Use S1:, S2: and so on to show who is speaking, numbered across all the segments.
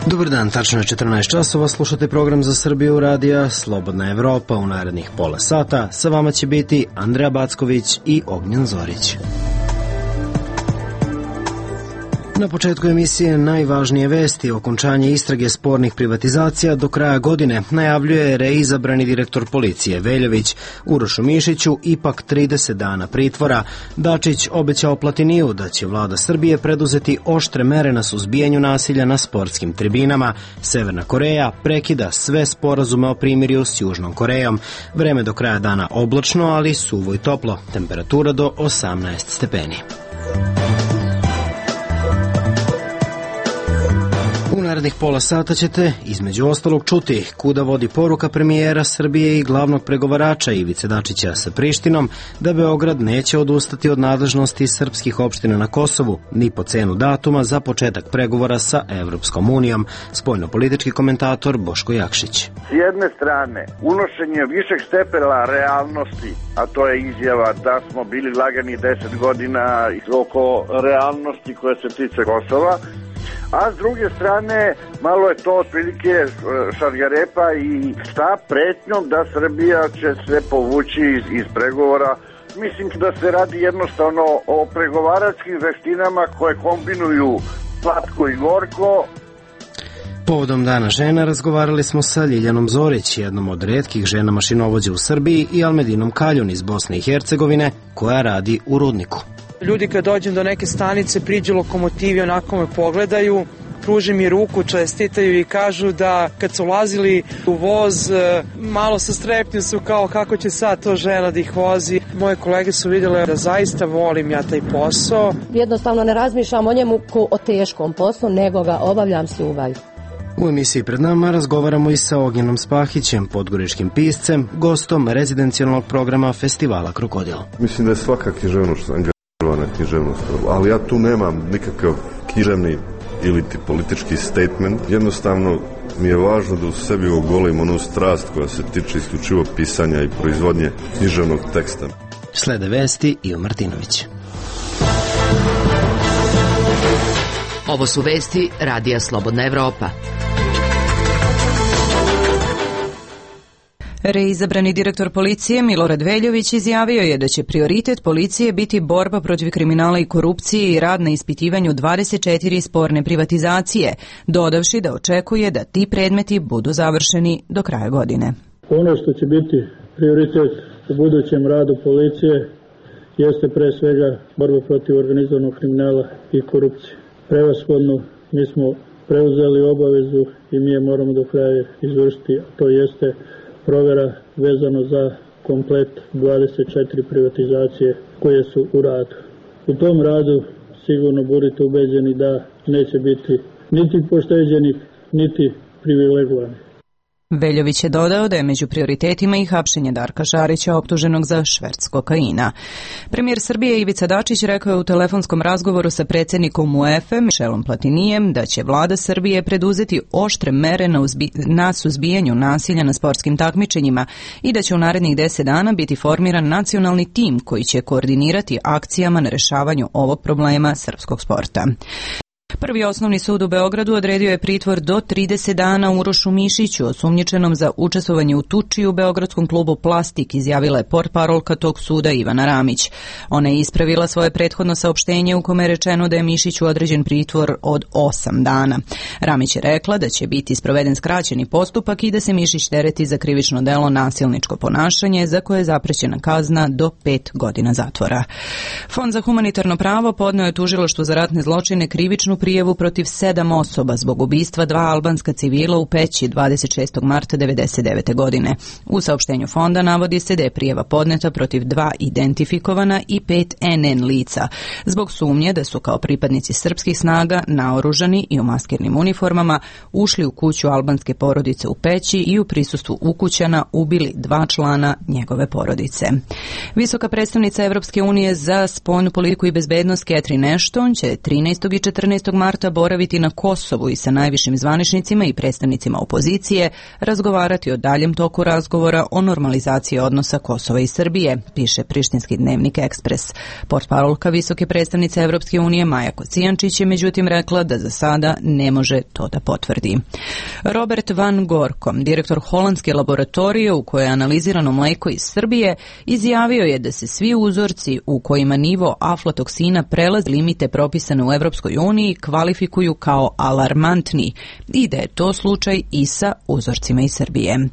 S1: Dobar dan, tačno je 14 časova, slušate program za Srbiju radija Slobodna Evropa. U narednih pola sata sa vama će biti Andreja Backović i Ognjen Zorić. Na početku emisije najvažnije vesti. Okončanje istrage spornih privatizacija do kraja godine najavljuje reizabrani direktor policije Veljović. Urošu Mišiću ipak 30 dana pritvora. Dačić obećao Platiniju da će vlada Srbije preduzeti oštre mere na suzbijanju nasilja na sportskim tribinama. Severna Koreja prekida sve sporazume o primirju s Južnom Korejom. Vreme do kraja dana oblačno, ali suvo i toplo. Temperatura do 18 stepeni. U narednih pola sata ćete, između ostalog, čuti kuda vodi poruka premijera Srbije i glavnog pregovarača Ivice Dačića sa Prištinom da Beograd neće odustati od nadležnosti srpskih opština na Kosovu, ni po cenu datuma za početak pregovora sa Evropskom unijom. Spoljnopolitički komentator Boško Jakšić.
S2: S jedne strane, unošenje višeg stepena realnosti, a to je izjava da smo bili lagani 10 godina oko realnosti koja se tiče Kosova, a s druge strane, malo je to otprilike šargarepa i sa pretnjom da Srbija će se povući iz pregovora. Mislim da se radi jednostavno o pregovaračkim veštinama koje kombinuju slatko i gorko.
S1: Povodom Dana žena razgovarali smo sa Ljiljanom Zorić, jednom od retkih žena mašinovođa u Srbiji, i Almedinom Kaljun iz Bosne i Hercegovine, koja radi u rudniku.
S3: Ljudi kad dođem do neke stanice, priđu lokomotivi, onako me pogledaju, pruže mi ruku, čestitaju i kažu da kad su ulazili u voz, malo sa strepnju su kao kako će sad to žena da ih vozi. Moje kolege su vidjele da zaista volim ja taj posao.
S4: Jednostavno ne razmišljam o njemu kao o teškom poslu, nego ga obavljam s ljubavlju.
S1: U emisiji pred nama razgovaramo i sa Ognjenom Spahićem, podgoričkim piscem, gostom rezidencijalnog programa festivala Krokodil.
S5: Mislim da je svaka književnost angažovana književnost, ali ja tu nemam nikakav književni ili ti politički statement. Jednostavno mi je važno da u sebi ogolim onu strast koja se tiče isključivo pisanja i proizvodnje književnog teksta.
S1: Slede vesti Ivo Martinović.
S6: Ovo su vesti Radija Slobodna Evropa.
S7: Reizabrani direktor policije Milorad Veljović izjavio je da će prioritet policije biti borba protiv kriminala i korupcije i rad na ispitivanju 24 sporne privatizacije, dodavši da očekuje da ti predmeti budu završeni do kraja godine.
S8: Ono što će biti prioritet u budućem radu policije jeste pre svega borba protiv organizovanog kriminala i korupcije. Prevashodno mi smo preuzeli obavezu i mi je moramo do kraja izvršiti, to jeste provjera vezano za komplet 24 privatizacije koje su u radu. U tom radu sigurno budite ubeđeni da neće biti niti pošteđenih, niti privilegovanih.
S7: Veljović je dodao da je među prioritetima i hapšenje Darka Šarića, optuženog za šverc kokaina. Premijer Srbije Ivica Dačić rekao je u telefonskom razgovoru sa predsjednikom UEFA Michelom Platinijem da će vlada Srbije preduzeti oštre mere na suzbijanju nasilja na sportskim takmičenjima i da će u narednih 10 dana biti formiran nacionalni tim koji će koordinirati akcijama na rešavanju ovog problema srpskog sporta. Prvi osnovni sud u Beogradu odredio je pritvor do 30 dana Urošu Mišiću, osumnjičenom za učestvovanje u tuči u beogradskom klubu Plastik, izjavila je portparolka tog suda Ivana Ramić. Ona je ispravila svoje prethodno saopštenje u kome je rečeno da je Mišiću određen pritvor od 8 dana. Ramić je rekla da će biti sproveden skraćeni postupak i da se Mišić tereti za krivično delo nasilničko ponašanje, za koje je zaprećena kazna do 5 godina zatvora. Fond za humanitarno pravo podneo je tužilaštvu za ratne zločine krivičnu prijavu protiv 7 osoba zbog ubistva 2 albanska civila u Peći 26. marta 1999. godine. U saopštenju fonda navodi se da je prijava podneta protiv 2 identifikovana i 5 NN lica, zbog sumnje da su kao pripadnici srpskih snaga naoružani i u maskirnim uniformama ušli u kuću albanske porodice u Peći i u prisustvu ukućana ubili 2 člana njegove porodice. Visoka predstavnica Evropske unije za spoljnu politiku i bezbednost Catherine Ashton će 13. i 14. marta marta boraviti na Kosovu i sa najvišim zvaničnicima i predstavnicima opozicije razgovarati o daljem toku razgovora o normalizaciji odnosa Kosova i Srbije, piše prištinski dnevnik Ekspres. Portparolka visoke predstavnice Evropske unije Maja Kocijančić je međutim rekla da za sada ne može to da potvrdi. Robert Van Gorkom, direktor holandske laboratorije u kojoj je analizirano mleko iz Srbije, izjavio je da se svi uzorci u kojima nivo aflatoksina prelazi limite propisane u Evropskoj uniji kvalifikuju kao alarmantni i da je to slučaj i sa uzorcima iz Srbije.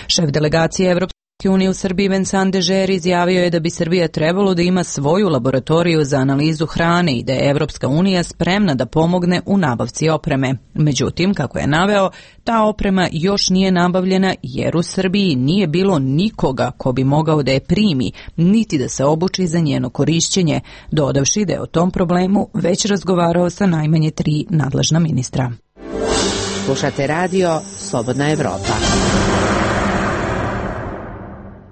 S7: Šef delegacije Evropske unije u Srbiji Vincent Dežer izjavio je da bi Srbija trebalo da ima svoju laboratoriju za analizu hrane i da je Evropska unija spremna da pomogne u nabavci opreme. Međutim, kako je naveo, ta oprema još nije nabavljena jer u Srbiji nije bilo nikoga ko bi mogao da je primi, niti da se obuči za njeno korišćenje, dodavši da je o tom problemu već razgovarao sa najmanje 3 nadležna ministra.
S9: Slušate radio Slobodna Evropa.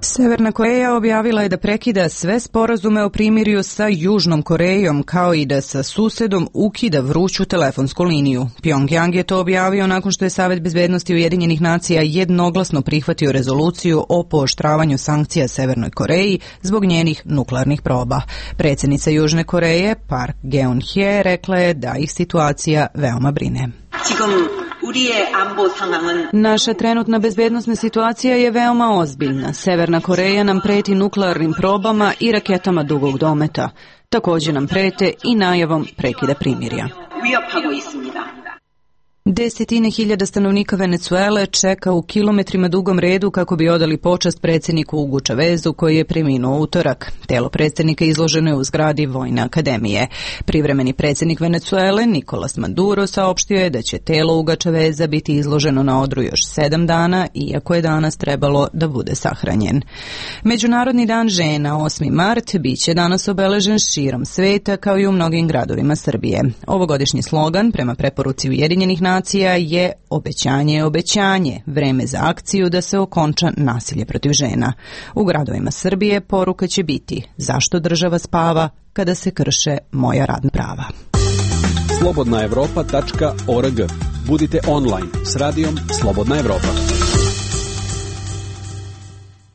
S7: Severna Koreja objavila je da prekida sve sporazume o primirju sa Južnom Korejom, kao i da sa susedom ukida vruću telefonsku liniju. Pjongjang je to objavio nakon što je Savet bezbednosti Ujedinjenih nacija jednoglasno prihvatio rezoluciju o pooštravanju sankcija Severnoj Koreji zbog njenih nuklearnih proba. Predsjednica Južne Koreje, Park Geun-hye, rekla je da ih situacija veoma brine. Naša trenutna bezbednosna situacija je veoma ozbiljna. Severna Koreja nam preti nuklearnim probama i raketama dugog dometa. Također nam prete i najavom prekida primirja. Desetine hiljada stanovnika Venecuele čeka u kilometrima dugom redu kako bi odali počast predsjedniku Hugu Chavezu koji je preminuo utorak. Telo predsjednika izloženo je u zgradi Vojne akademije. Privremeni predsjednik Venecuele Nicolas Maduro saopštio je da će telo Huga Chaveza biti izloženo na odru još 7 dana, iako je danas trebalo da bude sahranjen. Međunarodni dan žena, 8. mart, bit će danas obeležen širom sveta kao i u mnogim gradovima Srbije. Ovogodišnji slogan prema preporuci Ujedinjenih nacija je obećanje je obećanje, vreme za akciju da se okonča nasilje protiv žena. U gradovima Srbije poruka će biti zašto država spava kada se krše moja radna prava.
S10: slobodnaevropa.org. Budite online s radijom Slobodna Evropa.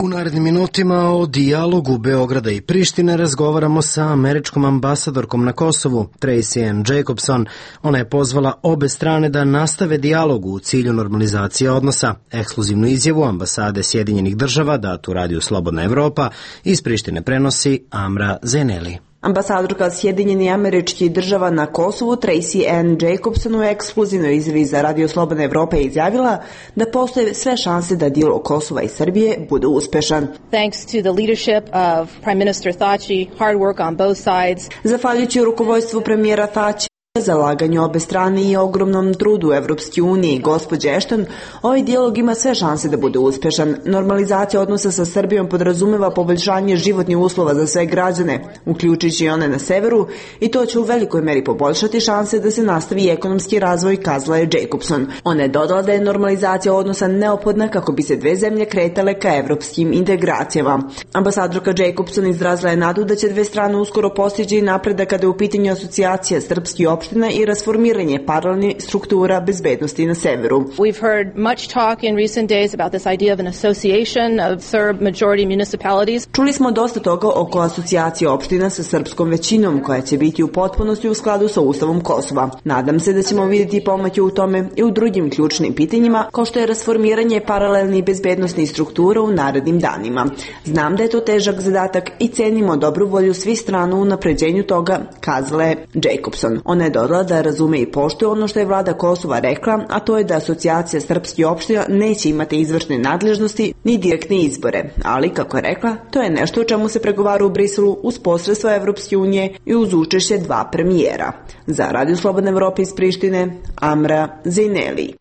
S1: U narednim minutima o dijalogu Beograda i Prištine razgovaramo sa američkom ambasadorkom na Kosovu, Tracy Ann Jacobson. Ona je pozvala obe strane da nastave dijalog u cilju normalizacije odnosa. Ekskluzivnu izjavu ambasade Sjedinjenih država, datu radiju Slobodna Evropa, iz Prištine prenosi Amra Zeneli.
S11: Ambasadorka Sjedinjenih Američkih Država na Kosovu Tracy Ann Jacobson u ekskluzivnoj izjavi za Radio Slobodna Evropa je izjavila da postoje sve šanse da dijalog Kosova i Srbije bude uspešan.
S12: Thanks to the leadership of Prime Minister Thaci, hard work on both sides.
S11: Zahvaljujući rukovodstvu premijera Thaci, zalaganju obe strane i ogromnom trudu Evropske unije i gospođe Ashton, ovaj dijalog ima sve šanse da bude uspešan. Normalizacija odnosa sa Srbijom podrazumeva poboljšanje životnih uslova za sve građane, uključujući i one na severu, i to će u velikoj meri poboljšati šanse da se nastavi ekonomski razvoj, kazala je Jacobson. Ona je dodala da je normalizacija odnosa neophodna kako bi se dve zemlje kretale ka evropskim integracijama. Ambasadorka Jacobson izrazila je nadu da će dve strane uskoro postići napredak kada je u pitanju asocijacija srpskih opština i rasformiranje paralelnih struktura bezbednosti na severu.
S12: We've heard much talk in recent days about this idea of an association of Serb majority municipalities.
S11: Čuli smo dosta toga oko asocijacije opština sa srpskom većinom koja će biti u potpunosti u skladu sa Ustavom Kosova. Nadam se da ćemo vidjeti pomake u tome i u drugim ključnim pitanjima kao što je rasformiranje paralelnih bezbednosnih struktura u narednim danima. Znam da je to težak zadatak i cenimo dobru volju svih strana u napređenju toga, kazala je Jacobson. Ona je dodala da razume i poštuje ono što je vlada Kosova rekla, a to je da asocijacija srpskih opština neće imati izvršne nadležnosti ni direktne izbore. Ali, kako je rekla, to je nešto o čemu se pregovara u Briselu uz posredstvo Evropske unije i uz učešće dva premijera. Za Radio Slobodna Evropa iz Prištine, Amra Zeneli.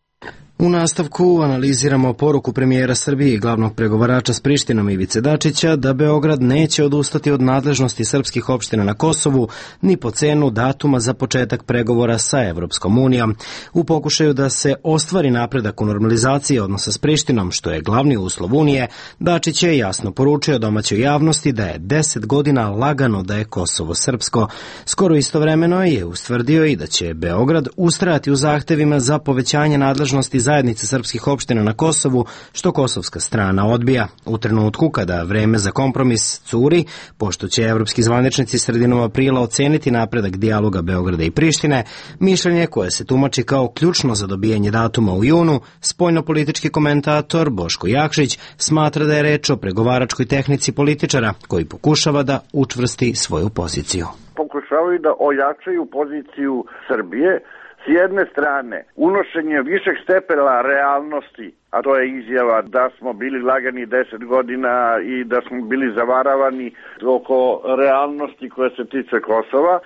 S1: U nastavku analiziramo poruku premijera Srbije i glavnog pregovarača s Prištinom Ivice Dačića da Beograd neće odustati od nadležnosti srpskih opština na Kosovu ni po cenu datuma za početak pregovora sa Evropskom unijom. U pokušaju da se ostvari napredak u normalizaciji odnosa s Prištinom, što je glavni uslov Unije, Dačić je jasno poručio domaćoj javnosti da je 10 godina lagano da je Kosovo srpsko. Skoro istovremeno je ustvrdio i da će Beograd ustrajati u zahtevima za povećanje nadležnosti zajednice srpskih opština na Kosovu, što kosovska strana odbija. U trenutku kada vreme za kompromis curi, pošto će evropski zvaničnici sredinom aprila oceniti napredak dijaloga Beograda i Prištine, mišljenje koje se tumači kao ključno za dobijanje datuma u junu, spoljnopolitički komentator Boško Jakšić smatra da je reč o pregovaračkoj tehnici političara koji pokušava da učvrsti svoju poziciju.
S2: Pokušavaju da ojačaju poziciju Srbije. S jedne strane, unošenje višeg stepena realnosti, a to je izjava da smo bili lagani 10 godina i da smo bili zavaravani oko realnosti koja se tiče Kosova,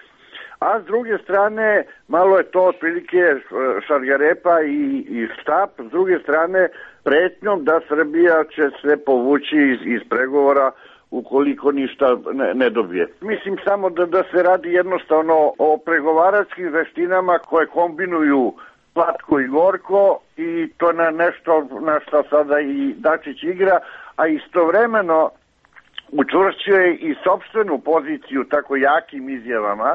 S2: a s druge strane, malo je to otprilike šargarepa i štap, s druge strane, pretnjom da Srbija će se povući iz pregovora ukoliko ništa ne dobije. Mislim samo da se radi jednostavno o pregovaračkim veštinama koje kombinuju slatko i gorko i to na nešto na što sada i Dačić igra, a istovremeno učvršćuje i sopstvenu poziciju tako jakim izjavama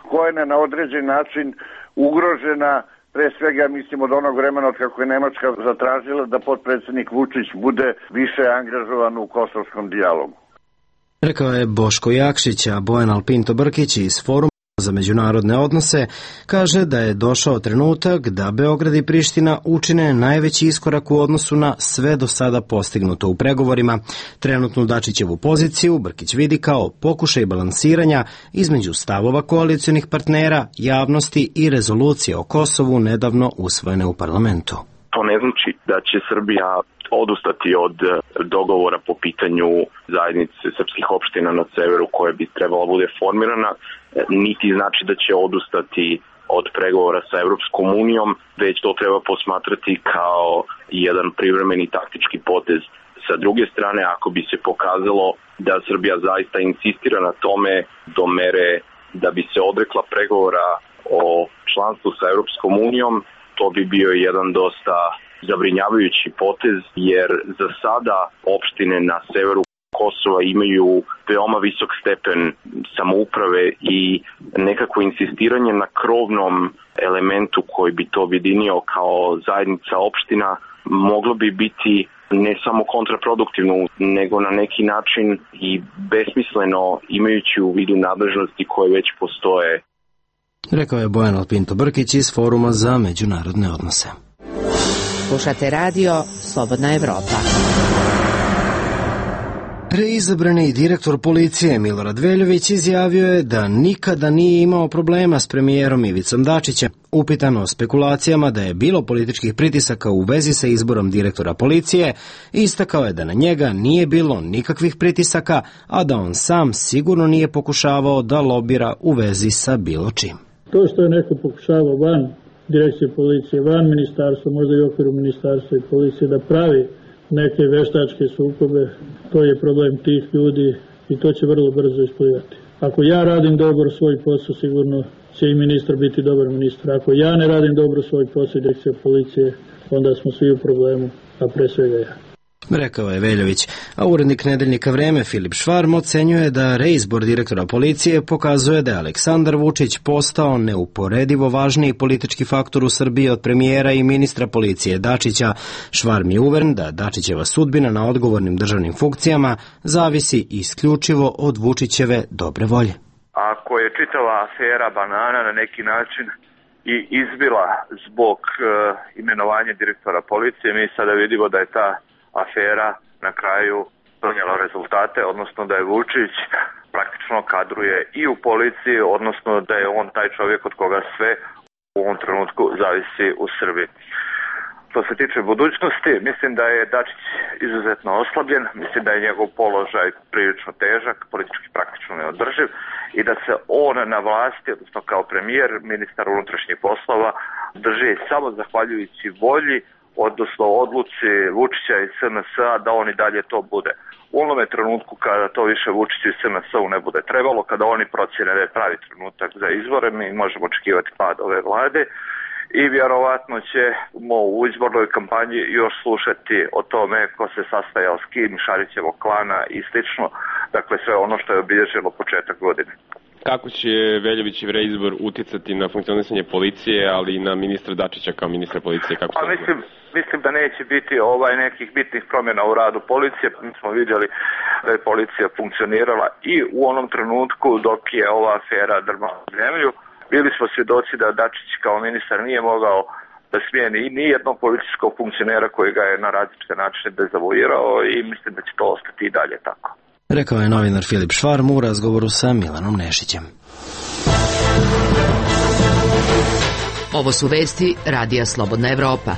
S2: koja je na određen način ugrožena, pre svega mislim od onog vremena od kako je Nemačka zatražila da potpredsednik Vučić bude više angažovan u kosovskom dijalogu.
S1: Rekao je Boško Jakšić, a Bojan Alpinto Brkić iz Foruma za međunarodne odnose kaže da je došao trenutak da Beograd i Priština učine najveći iskorak u odnosu na sve do sada postignuto u pregovorima. Trenutnu Dačićevu poziciju Brkić vidi kao pokušaj balansiranja između stavova koalicionih partnera, javnosti i rezolucije o Kosovu nedavno usvojene u parlamentu.
S13: To ne znači da će Srbija odustati od dogovora po pitanju zajednice srpskih opština na severu koje bi trebala bude formirana, niti znači da će odustati od pregovora sa Evropskom unijom, već to treba posmatrati kao jedan privremeni taktički potez. Sa druge strane, ako bi se pokazalo da Srbija zaista insistira na tome do mere da bi se odrekla pregovora o članstvu sa Evropskom unijom, to bi bio jedan dosta zabrinjavajući potez, jer za sada opštine na severu Kosova imaju veoma visok stepen samouprave i nekako insistiranje na krovnom elementu koji bi to objedinio kao zajednica opština moglo bi biti ne samo kontraproduktivno, nego na neki način i besmisleno imajući u vidu nadležnosti koje već postoje.
S1: Rekao je Bojan Alpinto Brkić iz Foruma za međunarodne odnose.
S9: Slušate radio Slobodna Evropa.
S1: Reizabrani direktor policije Milorad Veljović izjavio je da nikada nije imao problema s premijerom Ivicom Dačićem. Upitan o spekulacijama da je bilo političkih pritisaka u vezi sa izborom direktora policije, istakao je da na njega nije bilo nikakvih pritisaka, a da on sam sigurno nije pokušavao da lobira u vezi sa bilo čim.
S8: To što je neko pokušavao van direkcije policije, van ministarstva, možda i u okviru ministarstva i policije da pravi neke veštačke sukobe, to je problem tih ljudi i to će vrlo brzo isplivati. Ako ja radim dobro svoj posao, sigurno će i ministar biti dobar ministar. Ako ja ne radim dobro svoj posao i direkcija policije, onda smo svi u problemu, a pre svega ja.
S1: Rekao je Veljović, a urednik nedeljnika Vreme Filip Švarm ocenjuje da reizbor direktora policije pokazuje da je Aleksandar Vučić postao neuporedivo važniji politički faktor u Srbiji od premijera i ministra policije Dačića. Švarm je uveren da Dačićeva sudbina na odgovornim državnim funkcijama zavisi isključivo od Vučićeve dobre volje.
S14: Ako je čitava afera banana na neki način i izbila zbog imenovanja direktora policije, mi sada vidimo da je ta afera na kraju donijela rezultate, odnosno da je Vučić praktično kadruje i u policiji, odnosno da je on taj čovjek od koga sve u ovom trenutku zavisi u Srbiji. Što se tiče budućnosti, mislim da je Dačić izuzetno oslabljen, mislim da je njegov položaj prilično težak, politički praktično neodrživ i da se on na vlasti, odnosno kao premijer, ministar unutrašnjih poslova, drži samo zahvaljujući volji odnosno odluci Vučića i SNS-a da on i dalje to bude. U onome trenutku kada to više Vučiću i SNS-u ne bude trebalo, kada oni procjene da je pravi trenutak za izbore, mi možemo očekivati pad ove vlade i vjerovatno ćemo u izbornoj kampanji još slušati o tome ko se sastajao s kim, Šarićevog klana i slično, dakle sve ono što je obilježilo početak godine.
S15: Kako će Veljovićev reizbor uticati na funkcionisanje policije, ali i na ministra Dačića kao ministra policije? Kako
S14: mislim da neće biti nekih bitnih promjena u radu policije. Mi smo vidjeli da je policija funkcionirala i u onom trenutku dok je ova afera drmala zemlju. Bili smo svjedoci da Dačić kao ministar nije mogao da smijeni ni jednog policijskog funkcionera koji ga je na različite načine dezavuirao i mislim da će to ostati i dalje tako.
S1: Rekao je novinar Filip Švarm u razgovoru sa Milanom Nešićem.
S6: Ovo su vesti Radija Slobodna Evropa.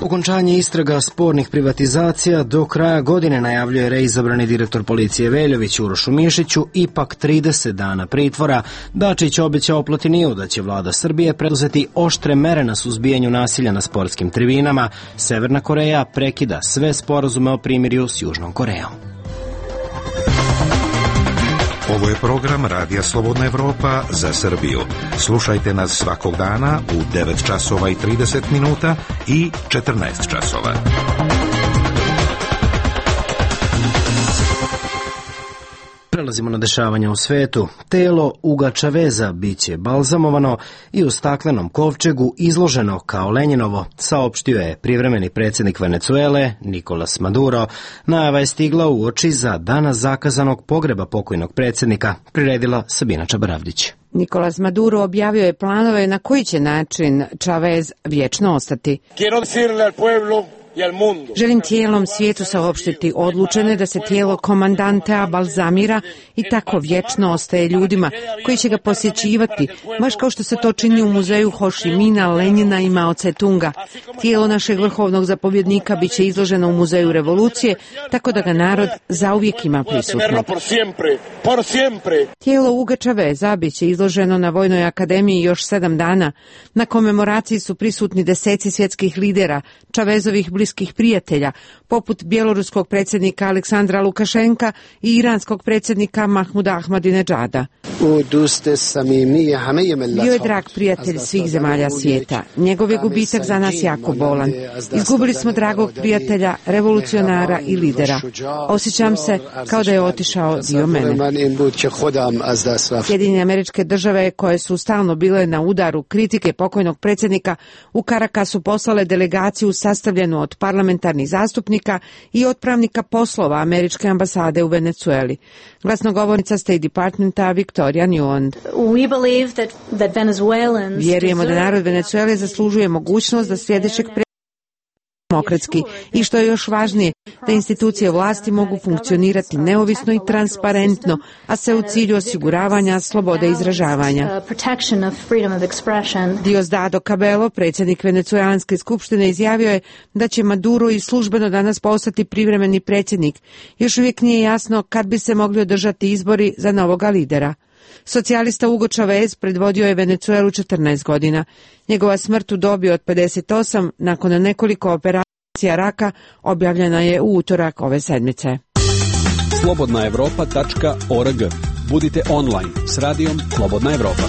S1: Okončanje istraga spornih privatizacija do kraja godine, najavljuje reizabrani direktor policije Veljović Urošu Mišiću, ipak 30 dana pritvora. Dačić obećao Platiniju da će vlada Srbije preduzeti oštre mere na suzbijanju nasilja na sportskim tribinama. Severna Koreja prekida sve sporazume o primirju s Južnom Korejom.
S16: Ovo je program Radija Slobodna Evropa za Srbiju. Slušajte nas svakog dana u 9 časova i 30 minuta i 14 časova.
S1: Prelazimo na dešavanja u svetu. Telo Uga Čaveza biće balzamovano i u staklenom kovčegu izloženo kao Lenjinovo, saopštio je privremeni predsjednik Venecuele Nicolas Maduro. Najava je stigla uoči za danas zakazanog pogreba pokojnog predsjednika, priredila Sabina Čabaravdić.
S9: Nicolas Maduro objavio je planove na koji će način Čavez vječno ostati. Želim cijelom svijetu saopštiti odlučene da se tijelo komandantea balzamira i tako vječno ostaje ljudima koji će ga posjećivati, baš kao što se to čini u muzeju Ho Chi Mina, Lenjina i Mao Tse-tunga. Tijelo našeg vrhovnog zapovjednika bit će izloženo u muzeju revolucije, tako da ga narod zauvijek ima prisutno. Tijelo Uga Čaveza bit će izloženo na Vojnoj akademiji još 7 dana. Na komemoraciji su prisutni deseci svjetskih lidera, Čavezovih bliskih prijatelja, poput bjeloruskog predsjednika Aleksandra Lukašenka i iranskog predsjednika Mahmuda Ahmadinedžada. Bio je drag prijatelj svih zemalja svijeta. Njegov je gubitak za nas jako bolan. Izgubili smo dragog prijatelja, revolucionara i lidera. Osjećam se kao da je otišao dio mene. Sjedinjene Američke Države, koje su stalno bile na udaru kritike pokojnog predsjednika, u Karakasu poslale delegaciju sastavljenu od parlamentarnih zastupnika i otpravnika poslova Američke ambasade u Venecueli. Glasnogovornica State Departmenta Victoria Newland. Vjerujemo da narod Venecuele zaslužuje mogućnost da sljedećeg demokratski i što je još važnije, da institucije vlasti mogu funkcionirati neovisno i transparentno, a sve u cilju osiguravanja slobode izražavanja. Diosdado Cabello, predsjednik Venecuelanske skupštine, izjavio je da će Maduro i službeno danas postati privremeni predsjednik. Još uvijek nije jasno kad bi se mogli održati izbori za novoga lidera. Socijalista Hugo Chavez predvodio je Venecuelu 14 godina. Njegova smrt u dobi od 58 nakon nekoliko operacija raka objavljena je u utorak ove sedmice.
S10: Slobodnaevropa.org. Budite online s radijom Slobodna Evropa.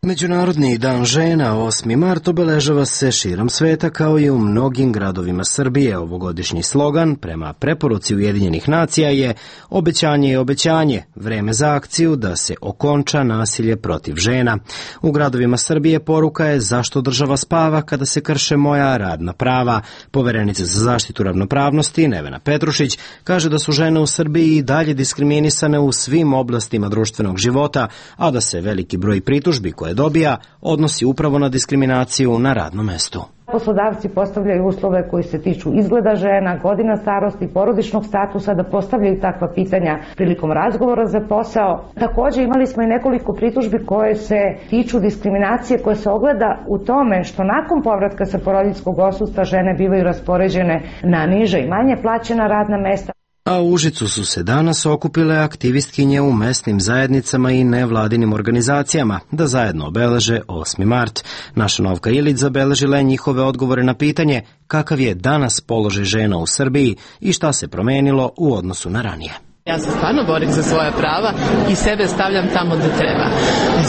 S1: Međunarodni dan žena 8. mart obeležava se širom sveta kao i u mnogim gradovima Srbije. Ovogodišnji slogan prema preporuci Ujedinjenih nacija je obećanje je obećanje, vreme za akciju da se okonča nasilje protiv žena. U gradovima Srbije poruka je zašto država spava kada se krše moja radna prava. Poverenica za zaštitu ravnopravnosti Nevena Petrušić kaže da su žene u Srbiji i dalje diskriminisane u svim oblastima društvenog života, a da se veliki broj pritužbi koje dobija odnosi upravo na diskriminaciju na radnom mestu.
S17: Poslodavci postavljaju uslove koji se tiču izgleda žena, godina starosti, porodičnog statusa, da postavljaju takva pitanja prilikom razgovora za posao. Također imali smo i nekoliko pritužbi koje se tiču diskriminacije koja se ogleda u tome što nakon povratka sa porodiljskog odsustva žene bivaju raspoređene na niže i manje plaćena radna mesta.
S1: A u Užicu su se danas okupile aktivistkinje u mesnim zajednicama i nevladinim organizacijama da zajedno obeleže 8. mart. Naša Novka Ilić zabeležila je njihove odgovore na pitanje kakav je danas položaj žena u Srbiji i šta se promenilo u odnosu na ranije.
S18: Ja se stvarno borim za svoja prava i sebe stavljam tamo gde treba.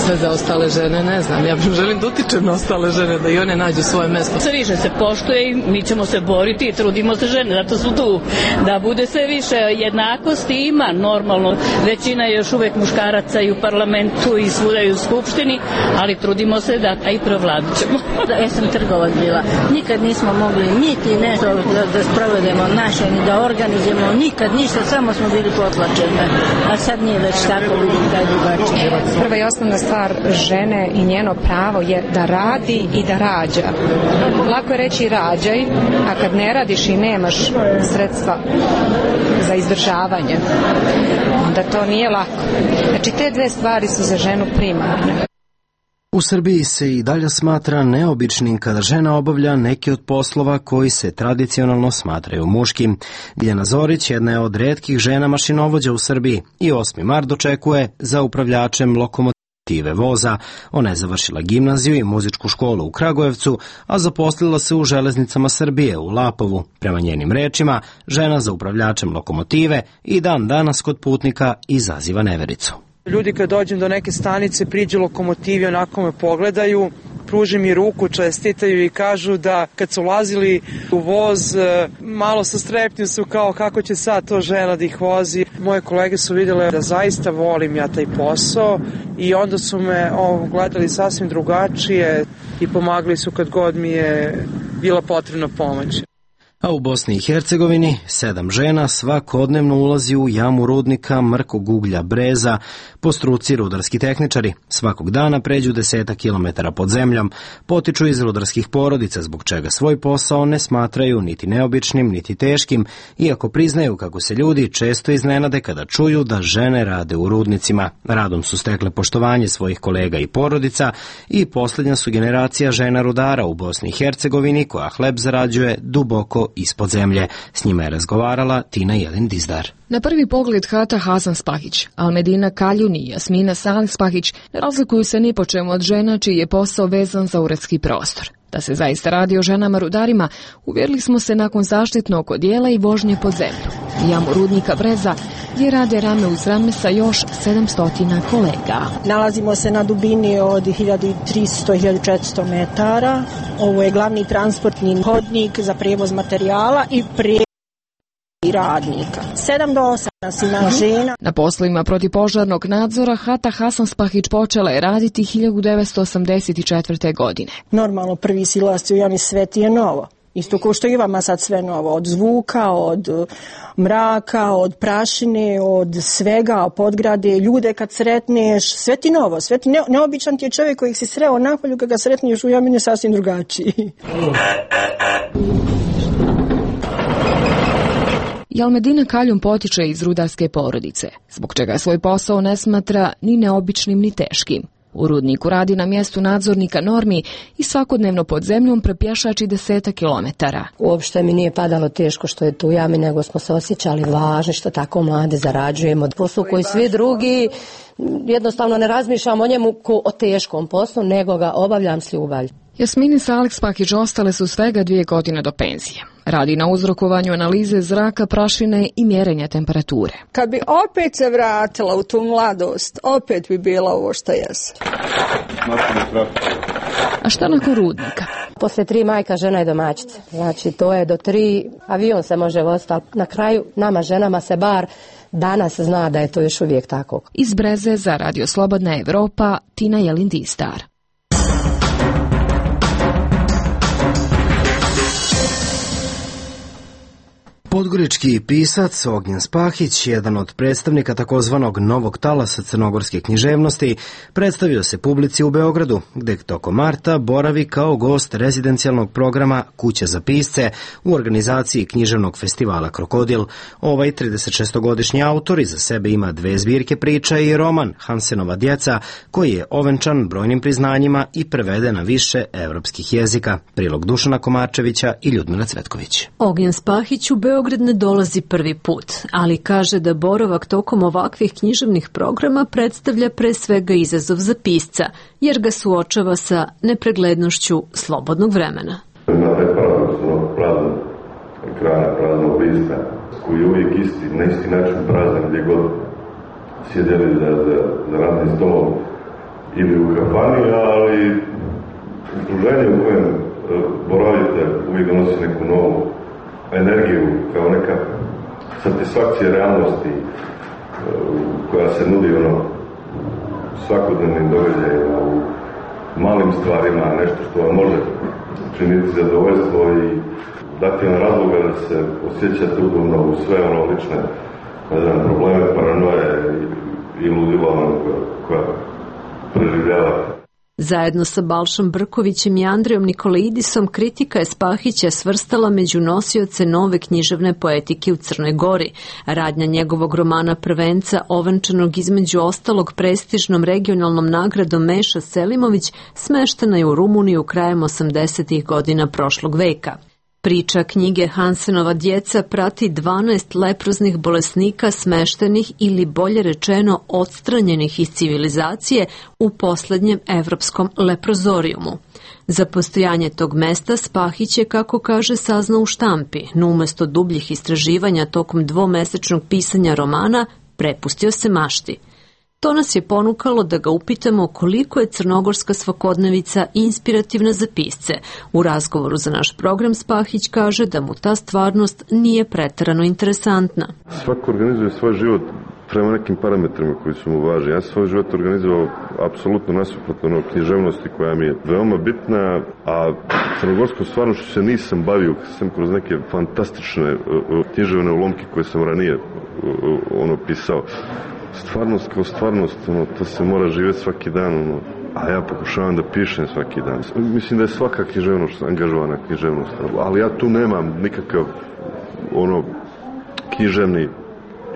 S18: Sve za ostale žene ne znam. Ja želim da utičem na ostale žene, da i one nađu svoje mesto.
S19: Sve više se poštuje i mi ćemo se boriti i trudimo se žene, zato su tu. Da bude sve više jednakosti ima normalno. Većina je još uvek muškaraca i u parlamentu i svuda i u skupštini, ali trudimo se da i provladit ćemo.
S20: Ja sam trgovac bila. Nikad nismo mogli niti nešto da sprovedemo naše, ni da organizujemo, nikad ništa, samo smo bili potlačene. A sad nije već tako, vidim da je drugačije.
S21: Prva i osnovna stvar žene i njeno pravo je da radi i da rađa. Lako je reći rađaj, a kad ne radiš i nemaš sredstva za izdržavanje, onda to nije lako. Znači te dve stvari su za ženu primarne.
S1: U Srbiji se i dalje smatra neobičnim kada žena obavlja neki od poslova koji se tradicionalno smatraju muškim. Biljana Zorić jedna je od retkih žena mašinovođa u Srbiji i 8. mart dočekuje za upravljačem lokomotive voza. Ona je završila gimnaziju i muzičku školu u Kragujevcu, a zaposlila se u Železnicama Srbije u Lapovu. Prema njenim rečima, žena za upravljačem lokomotive i dan danas kod putnika izaziva nevericu.
S3: Ljudi kad dođem do neke stanice, priđu lokomotivi, onako me pogledaju, pruže mi ruku, čestitaju i kažu da kad su ulazili u voz, malo sa strepnju su kao kako će sad to žena da ih vozi. Moje kolege su vidjele da zaista volim ja taj posao i onda su me gledali sasvim drugačije i pomagali su kad god mi je bila potrebna pomoć.
S1: A u Bosni i Hercegovini 7 žena svakodnevno ulazi u jamu rudnika mrkog uglja Breza, po struci rudarski tehničari. Svakog dana pređu 10 kilometara pod zemljom, potiču iz rudarskih porodica, zbog čega svoj posao ne smatraju niti neobičnim, niti teškim, iako priznaju kako se ljudi često iznenade kada čuju da žene rade u rudnicima. Radom su stekle poštovanje svojih kolega i porodica i posljednja su generacija žena rudara u Bosni i Hercegovini koja hleb zarađuje duboko ispod zemlje. S njima je razgovarala Tina Jelin Dizdar.
S22: Na prvi pogled Hata Hasan Spahić, Almedina Kaljun i Jasmina Salih Spahić ne razlikuju se ni po čemu od žena čiji je posao vezan za uredski prostor. Da se zaista radi o ženama rudarima, uvjerili smo se nakon zaštitnog odijela i vožnje pod zemlju. Jamu rudnika Breza gdje rade rame uz rame sa još 700 kolega.
S23: Nalazimo se na dubini od 1300-1400 metara. Ovo je glavni transportni hodnik za prevoz materijala i radnika. 7 do 8 nas ima žena.
S22: Na poslovima protivpožarnog nadzora Hata Hasan Spahić počela je raditi 1984. godine.
S23: Normalno prvi silasci u jami sve ti je novo. Isto kao što i vama sad sve novo, od zvuka, od mraka, od prašine, od svega, podgrade, ljude kad sretneš, sve ti novo, sve ti neobičan ti je čovjek kojeg si sreo napolju, kad ga sretneš u jami je sasvim drugačiji.
S22: Almedina Kaljun potiče iz rudarske porodice, zbog čega svoj posao ne smatra ni neobičnim ni teškim. U rudniku radi na mjestu nadzornika normi i svakodnevno pod zemljom prepješači 10 kilometara.
S4: Uopšte mi nije padalo teško što je tu u jami, nego smo se osjećali važni što tako mlade zarađujemo. Posao koji svi drugi, jednostavno ne razmišljam o njemu kao o teškom poslu, nego ga obavljam s ljubavlju.
S22: Jasmini Salih Spahić ostale su svega 2 godine do penzije. Radi na uzrokovanju analize zraka, prašine i mjerenja temperature.
S23: Kad bi opet se vratila u tu mladost, opet bi bila ovo što jesam.
S22: A šta nakon rudnika?
S4: Posle 3 majka žena je domaćica. Znači to je do 3 avion se može voziti, ali na kraju nama ženama se bar danas zna da je to još uvijek tako.
S22: Iz Breze za Radio Slobodna Evropa, Tina Jelin Dizdar.
S1: Podgorički pisac Ognjen Spahić, jedan od predstavnika takozvanog novog talasa crnogorske književnosti, predstavio se publici u Beogradu, gde tokom marta boravi kao gost rezidencijalnog programa Kuća za pisce u organizaciji književnog festivala Krokodil. Ovaj 36-godišnji autor iza sebe ima 2 zbirke priča i roman Hansenova djeca, koji je ovenčan brojnim priznanjima i preveden na više evropskih jezika. Prilog Dušana Komarčevića i Ljudmila Cvetković.
S24: Ognjen Spahić u Beogradu
S5: Beograd ne dolazi prvi put, ali kaže da boravak tokom ovakvih književnih programa predstavlja pre svega izazov za pisca, jer ga suočava sa nepreglednošću slobodnog vremena.
S7: Na taj paradoks praznog ekrana, praznog lista, koji je uvijek na isti način prazan gdje god sjedeli za radnim stolom ili u kafani, ali okruženje u kojem boravite uvijek donosi neku novu energiju, kao neka satisfakcija realnosti koja se nudi svakodnevnim događajima, u malim stvarima, nešto što vam može činiti zadovoljstvo i dati vam razloga da se osjećate udobno u sve lične probleme, paranoje i ludila koja preživljavate.
S5: Zajedno sa Balšom Brkovićem i Andrijom Nikolaidisom kritika je Spahića svrstala među nosioce nove književne poetike u Crnoj Gori. Radnja njegovog romana Prvenca, ovenčanog između ostalog prestižnom regionalnom nagradom Meša Selimović, smeštena je u Rumuniju krajem 80. godina prošlog veka. Priča knjige Hansenova djeca prati 12 leproznih bolesnika smeštenih ili bolje rečeno odstranjenih iz civilizacije u poslednjem evropskom leprozorijumu. Za postojanje tog mesta Spahić je, kako kaže, saznao u štampi, no umesto dubljih istraživanja tokom dvomesečnog pisanja romana prepustio se mašti. To nas je ponukalo da ga upitamo koliko je crnogorska svakodnevica inspirativna za pisce. U razgovoru za naš program Spahić kaže da mu ta stvarnost nije preterano interesantna.
S7: Svako organizuje svoj život prema nekim parametrima koji su mu važni. Ja sam svoj život organizovao apsolutno nasuprotno književnosti koja mi je veoma bitna, a crnogorskom stvarnošću se nisam bavio sam kroz neke fantastične književne ulomke koje sam ranije pisao. Stvarnost kao stvarnost, to se mora živjeti svaki dan, a ja pokušavam da pišem svaki dan. Mislim da je svaka književnost angažovana književnost, ali ja tu nemam nikakav književni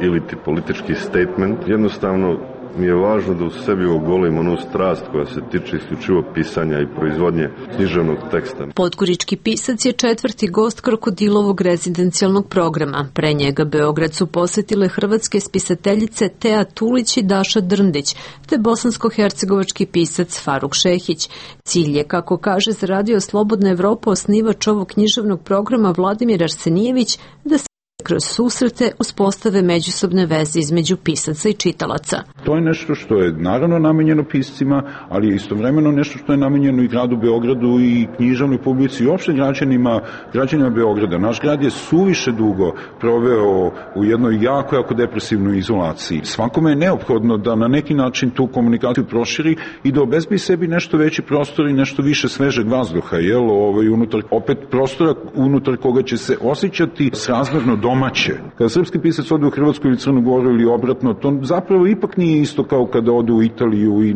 S7: ili ti politički statement. Jednostavno mi je važno da u sebi ogolim onu strast koja se tiče isključivo pisanja i proizvodnje književnog teksta.
S5: Podgorički pisac je 4. gost Krokodilovog rezidencijalnog programa. Pre njega Beograd su posetile hrvatske spisateljice Teja Tulić i Daša Drndić, te bosansko-hercegovački pisac Faruk Šehić. Cilj je, kako kaže za Radio Slobodna Evropa osnivač ovog književnog programa Vladimir Arsenijević, da se kroz susrete uspostave međusobne veze između pisaca i čitalaca.
S12: To je nešto što je naravno namenjeno piscima, ali je istovremeno nešto što je namenjeno i gradu Beogradu i književnoj publici i uopšte građanima Beograda. Naš grad je suviše dugo proveo u jednoj jako depresivnoj izolaciji. Svakome je neophodno da na neki način tu komunikaciju proširi i da obezbedi sebi nešto veći prostor i nešto više svežeg vazduha, opet prostora unutar koga će se osjećati srazmerno domaće. Kada srpski pisac ode u Hrvatsku ili Crnu Goru ili obratno, to zapravo ipak nije isto kao kada ode u Italiju i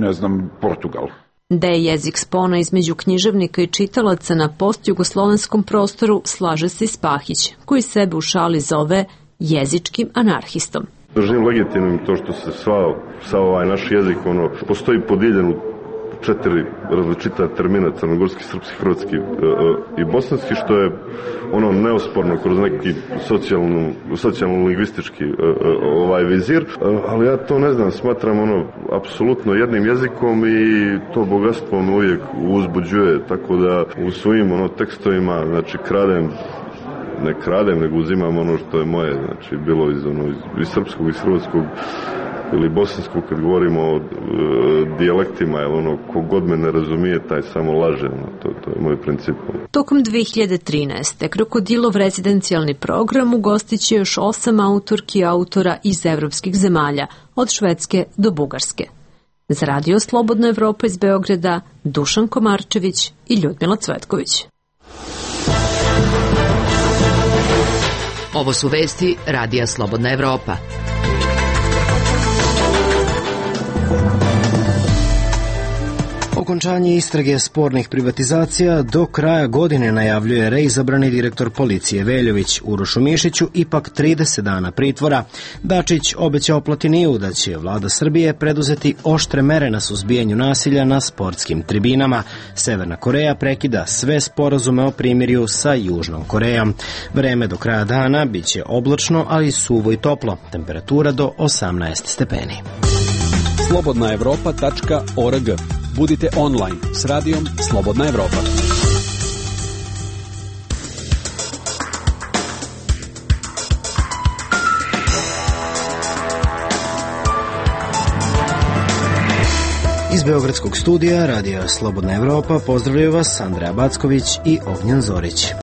S12: Portugal.
S5: Da je jezik spona između književnika i čitalaca na postjugoslovenskom prostoru, slaže se i Spahić, koji sebe u šali zove jezičkim anarhistom.
S7: Držim legitimnim to što se sav ovaj naš jezik postoji podijeljen u 4 različita termina, crnogorski, srpski, hrvatski i bosanski, što je neosporno kroz neki socijalno-lingvistički vizir, ali ja to ne znam, smatram apsolutno jednim jezikom i to bogatstvo me uvijek uzbuđuje, tako da u svojim tekstovima, znači ne kradem, nego uzimam ono što je moje, znači bilo iz srpskog, iz hrvatskog ili bosanskog, kad govorimo o dijalektima, jer kogod me ne razumije, taj samo laže, to je moj princip.
S5: Tokom 2013. Krokodilov rezidencijalni program ugostit će još 8 autorki i autora iz evropskih zemalja, od Švedske do Bugarske. Za Radio Slobodna Evropa iz Beograda, Dušan Komarčević i Ljudmila Cvetković.
S6: Ovo su vesti Radija Slobodna Evropa.
S1: okončanje istrage spornih privatizacija do kraja godine, najavljuje reizabrani direktor policije Veljović. Urošu Mišiću ipak 30 dana pritvora. Dačić obećao Platiniju da će vlada Srbije preduzeti oštre mere na suzbijanju nasilja na sportskim tribinama. Severna Koreja prekida sve sporazume o primirju sa Južnom Korejom. Vreme do kraja dana biće oblačno, ali suvo i toplo. Temperatura do 18 stepeni.
S10: slobodnaevropa.org. Budite online s radijom Slobodna Evropa.
S1: Iz Beogradskog studija radija Slobodna Evropa pozdravljaju vas Andreja Backović i Ognjen Zorić.